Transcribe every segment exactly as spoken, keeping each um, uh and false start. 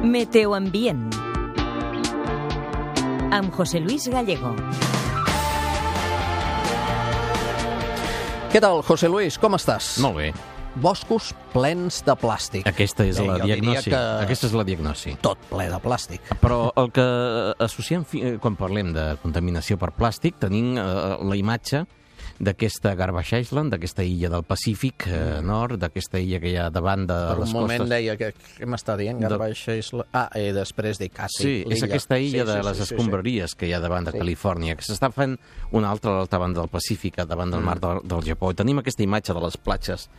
Meteoambient amb José Luis Gallego. Què tal, José Luis? Com estàs? Molt bé. Boscos plens de plàstic. Aquesta és Bé, la jo diria diagnosi. que Aquesta és la diagnosi. tot ple de plàstic. Però el que associem fi- quan parlem de contaminació per plàstic, tenim eh, la imatge d'aquesta Garbage Island, d'aquesta illa del Pacífic eh, Nord, d'aquesta illa que hi ha davant de Per un les moment costes. deia que què m'està dient? De- Garbage Island? Ah, i després dic, ah, sí, Sí, és l'illa. aquesta illa Sí, de sí, les sí, sí, escombraries que hi ha davant de Sí. Califòrnia, que s'està fent una altra a l'altra banda del Pacífic, davant del Mm. mar del, del Japó. I tenim aquesta imatge de les platges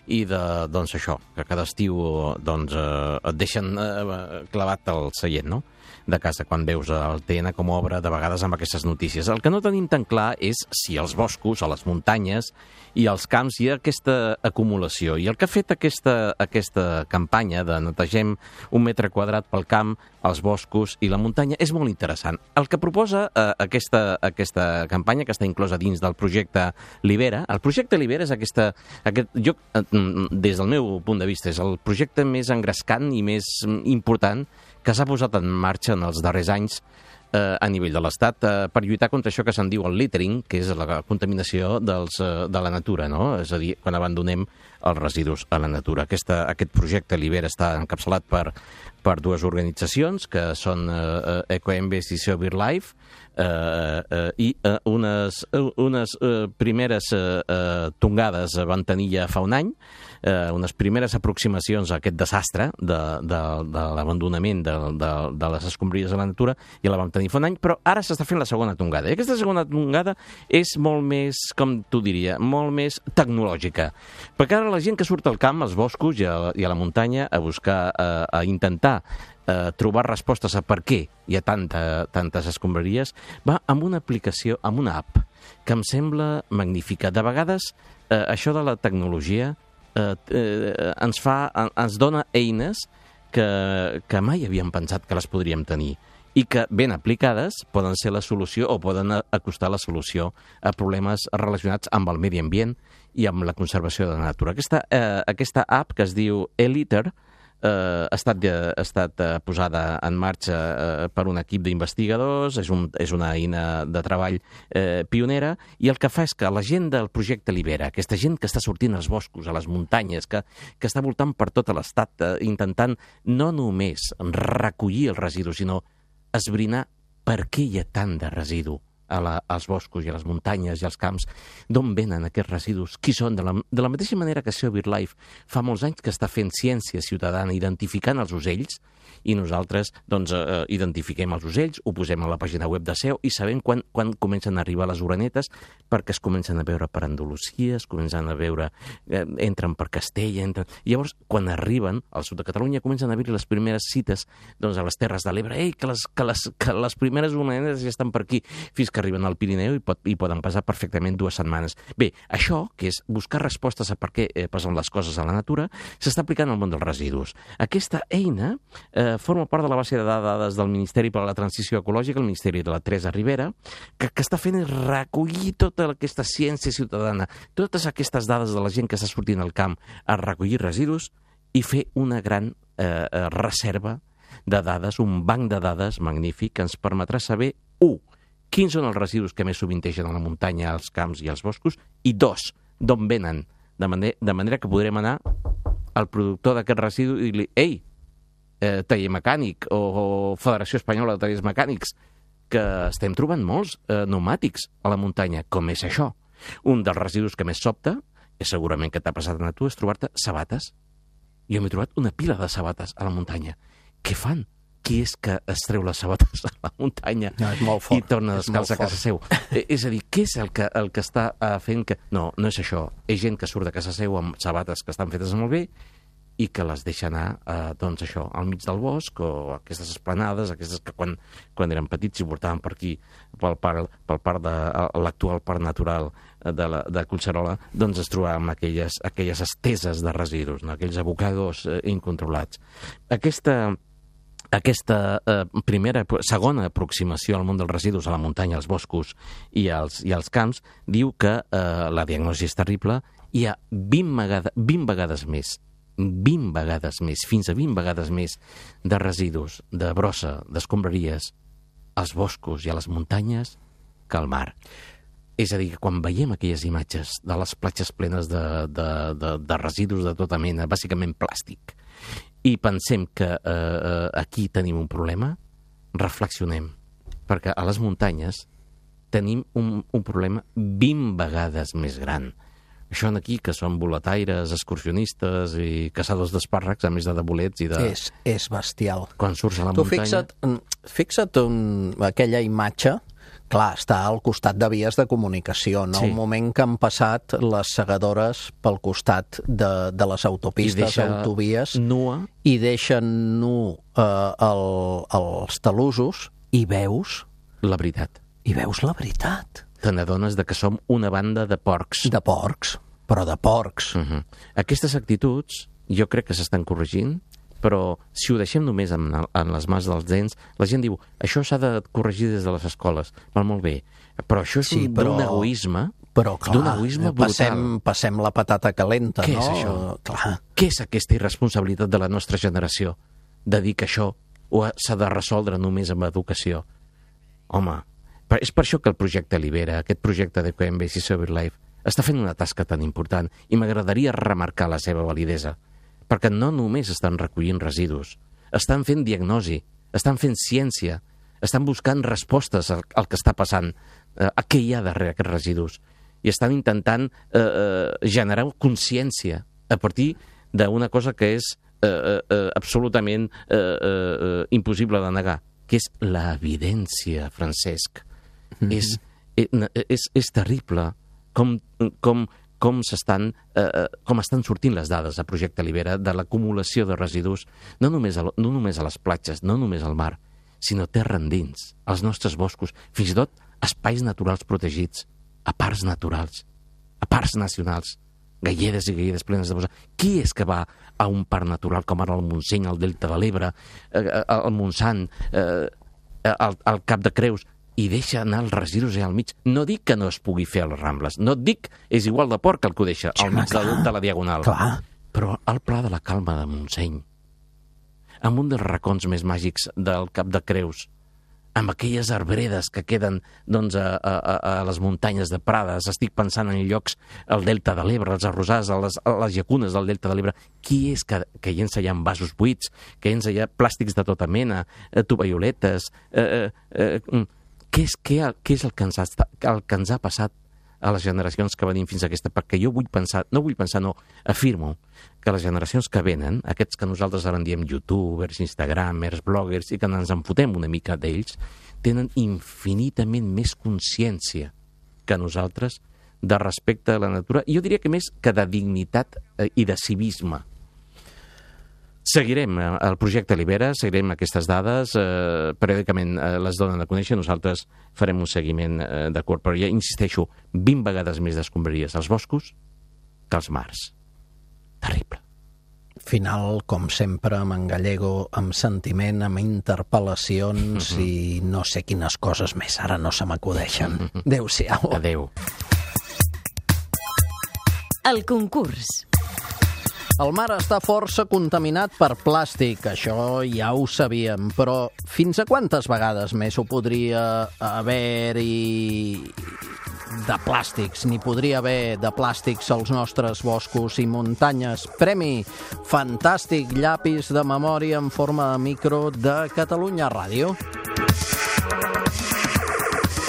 i de, doncs això, que cada estiu doncs, eh, et deixen eh, clavat al seient, no?, de casa, quan veus el T N com obre de vegades amb aquestes notícies. El que no tenim tan clar és si als boscos, a les muntanyes i als camps hi ha aquesta acumulació. I el que ha fet aquesta, aquesta campanya de netegem un metre quadrat pel camp, els boscos i la muntanya és molt interessant. El que proposa eh, aquesta, aquesta campanya, que està inclosa dins del projecte Libera, el projecte Libera és aquesta, aquest, jo, eh, des del meu punt de vista, és el projecte més engrescant i més important que s'ha posat en marxa en els darrers anys eh, a nivell de l'Estat eh, per lluitar contra això que se'n diu el littering, que és la contaminació dels, eh, de la natura, no? És a dir, quan abandonem els residus a la natura. Aquesta, aquest projecte Libera està encapçalat per, per dues organitzacions, que són eh, EcoEmbes i SeaBirdLife, eh, eh, i eh, unes, unes eh, primeres eh, eh, tongades van tenir ja fa un any, eh, unes primeres aproximacions a aquest desastre de, de, de l'abandonament de, de, de les escombraries a la natura, i la vam tenir fa un any, però ara s'està fent la segona tongada. I aquesta segona tongada és molt més, com tu diria, molt més tecnològica. Perquè ara la gent que surt al camp, als boscos i a la, i a la muntanya a buscar, a, a intentar eh, trobar respostes a per què hi ha tanta, tantes escombraries, va amb una aplicació, amb una app, que em sembla magnífica. De vegades, eh, això de la tecnologia eh, eh, ens fa, ens dona eines que, que mai havíem pensat que les podríem tenir i que, ben aplicades, poden ser la solució o poden acostar la solució a problemes relacionats amb el medi ambient i amb la conservació de la natura. Aquesta, eh, aquesta app, que es diu eLitter, eh, ha estat, ha estat eh, posada en marxa eh, per un equip d'investigadors, és, un, és una eina de treball eh, pionera, i el que fa és que la gent del projecte Libera, aquesta gent que està sortint als boscos, a les muntanyes, que, que està voltant per tot l'estat, eh, intentant no només recollir els residus, sinó esbrinar per què hi ha tant de residu a la, als boscos i a les muntanyes i als camps, d'on venen aquests residus, qui són. De la, de la mateixa manera que SeaBirdLife fa molts anys que està fent ciència ciutadana identificant els ocells, i nosaltres doncs, eh, identifiquem els ocells, ho posem a la pàgina web de SEO i sabem quan, quan comencen a arribar les orenetes, perquè es comencen a veure per Andalusia, es comencen a veure, eh, entren per Castella, entren... I llavors, quan arriben al sud de Catalunya, comencen a haver les primeres cites doncs, a les Terres de l'Ebre, ei, que les, que, les, que les primeres orenetes ja estan per aquí, fins que arriben al Pirineu i, pot, i poden passar perfectament dues setmanes. Bé, això, que és buscar respostes a per què eh, passen les coses a la natura, s'està aplicant al món dels residus. Aquesta eina eh, forma part de la base de dades del Ministeri per a la Transició Ecològica, el Ministeri de la Teresa Ribera, que, que està fent és recollir tota aquesta ciència ciutadana, totes aquestes dades de la gent que està sortint al camp a recollir residus i fer una gran eh, reserva de dades, un banc de dades magnífic que ens permetrà saber, u, quins són els residus que més sovintegen a la muntanya, als camps i als boscos, i dos, d'on venen, de, manera, de manera que podrem anar al productor d'aquest residu i dir-li, ei, eh, taller mecànic o, o Federació Espanyola de Tallers Mecànics, que estem trobant molts eh, pneumàtics a la muntanya. Com és això? Un dels residus que més sobta, és segurament que t'ha passat a tu, és trobar-te sabates. Jo m'he trobat una pila de sabates a la muntanya. Què fan? Qui és que es treu les sabates a la muntanya no, és molt fort, i torna a descalçar a casa seu? Eh, és a dir, què és el que, el que està eh, fent que... No, no és això. És gent que surt de casa seu amb sabates que estan fetes molt bé i que les deixa anar, eh, doncs això, al mig del bosc, o aquestes esplanades, aquestes que quan, quan eren petits i portaven per aquí, pel parc, pel parc de l'actual parc natural de, la, de Collserola, doncs es trobaven aquelles, aquelles esteses de residus, no? Aquells abocadors eh, incontrolats. Aquesta... Aquesta eh, primera, segona aproximació al món dels residus a la muntanya, als boscos i als, i als camps, diu que eh, la diagnosi és terrible, hi ha vint vegades, vint vegades més vint vegades més, fins a vint vegades més de residus, de brossa, d'escombraries als boscos i a les muntanyes que al mar. És a dir, que quan veiem aquelles imatges de les platges plenes de, de, de, de residus de tota mena, bàsicament plàstic, i pensem que eh, aquí tenim un problema, reflexionem, perquè a les muntanyes tenim un, un problema vint vegades més gran. Això aquí, que són boletaires, excursionistes i caçadors d'espàrrecs, a més de de bolets i de... És, és bestial. Quan surts a la tu muntanya... fixa't, fixa't un, aquella imatge, clar, està al costat de vies de comunicació, no? Sí. El moment que han passat les segadores pel costat de, de les autopistes, autovies, nua. i deixen nu eh, el, els talussos i veus... La veritat. I veus la veritat. Te n'adones de que som una banda de porcs. De porcs, però de porcs. Uh -huh. Aquestes actituds jo crec que s'estan corregint, però si ho deixem només en, en les mans dels nens, la gent diu, això s'ha de corregir des de les escoles. Val, molt bé, però això és Sí, un, però- d'un egoisme, Però, d'un clar, egoisme brutal. passem, passem la patata calenta, Què no? és això? Clar. Què és aquesta irresponsabilitat de la nostra generació de dir que això ho ha- s'ha de resoldre només amb educació? Home, per- és per això que el projecte Libera, aquest projecte de Coembase i Sober Life, està fent una tasca tan important i m'agradaria remarcar la seva validesa, perquè no només estan recollint residus, estan fent diagnosi, estan fent ciència, estan buscant respostes al, al que està passant, eh, a què hi ha darrere aquests residus, i estan intentant eh, eh, generar consciència a partir d'una cosa que és eh, eh, absolutament eh, eh, impossible de negar, que és l'evidència, Francesc. Mm-hmm. és, és, és terrible com, com, com, s'estan, eh, com estan sortint les dades a Projecte Libera de l'acumulació de residus, no només, a, no només a les platges, no només al mar, sinó terra endins, als nostres boscos, fins i tot espais naturals protegits, a parcs naturals, a parcs nacionals, galledes i galledes plenes de bossa. Qui és que va a un parc natural com ara el Montseny, el Delta de l'Ebre, eh, el Montsant, eh, el, el Cap de Creus, i deixa anar els residus allà al mig? No dic que no es pugui fer a les Rambles, no et dic, és igual de porc el que ho deixa al mig de, de la Diagonal. Clar. Però al Pla de la Calma de Montseny, amb un dels racons més màgics del Cap de Creus, amb aquelles arbredes que queden doncs, a, a, a les muntanyes de Prades, estic pensant en llocs al Delta de l'Ebre, als arrosars, a les, a les llacunes del Delta de l'Ebre. Qui és que, que llença allà vasos buits, que llença allà plàstics de tota mena, eh, tovalloletes... Eh, eh, eh, què, és, què, què és el que, ens ha, el que ens ha passat a les generacions que venim fins a aquesta? Perquè jo vull pensar, no vull pensar, no, afirmo que les generacions que venen, aquests que nosaltres ara en diem youtubers, instagramers, bloggers, i que ens en fotem una mica d'ells, tenen infinitament més consciència que nosaltres de respecte a la natura, i jo diria que més que de dignitat i de civisme. Seguirem el projecte Libera, seguirem aquestes dades, eh, periòdicament eh, les donen a conèixer, nosaltres farem un seguiment eh, d'acord, però ja insisteixo, vint vegades més d'escombraries als boscos que als mars. Terrible. Final, com sempre, amb en Gallego, amb sentiment, amb interpel·lacions mm-hmm. i no sé quines coses més, ara no se m'acudeixen. Mm-hmm. Adéu-siau. Adéu. El concurs. El mar està força contaminat per plàstic, això ja ho sabíem, però fins a quantes vegades més ho podria haver-hi de plàstics? N'hi podria haver de plàstics als nostres boscos i muntanyes. Premi Fantàstic Llapis de Memòria en forma de micro de Catalunya Ràdio.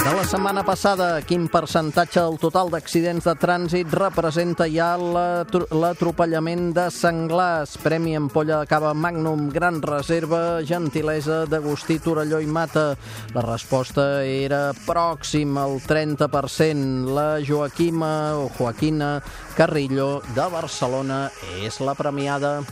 De la setmana passada, quin percentatge del total d'accidents de trànsit representa ja l'atropellament de senglars? Premi Ampolla de Cava Magnum, Gran Reserva, gentilesa d'Agustí Torelló i Mata. La resposta era pròxim al trenta per cent. La Joaquima o Joaquina Carrillo de Barcelona és la premiada.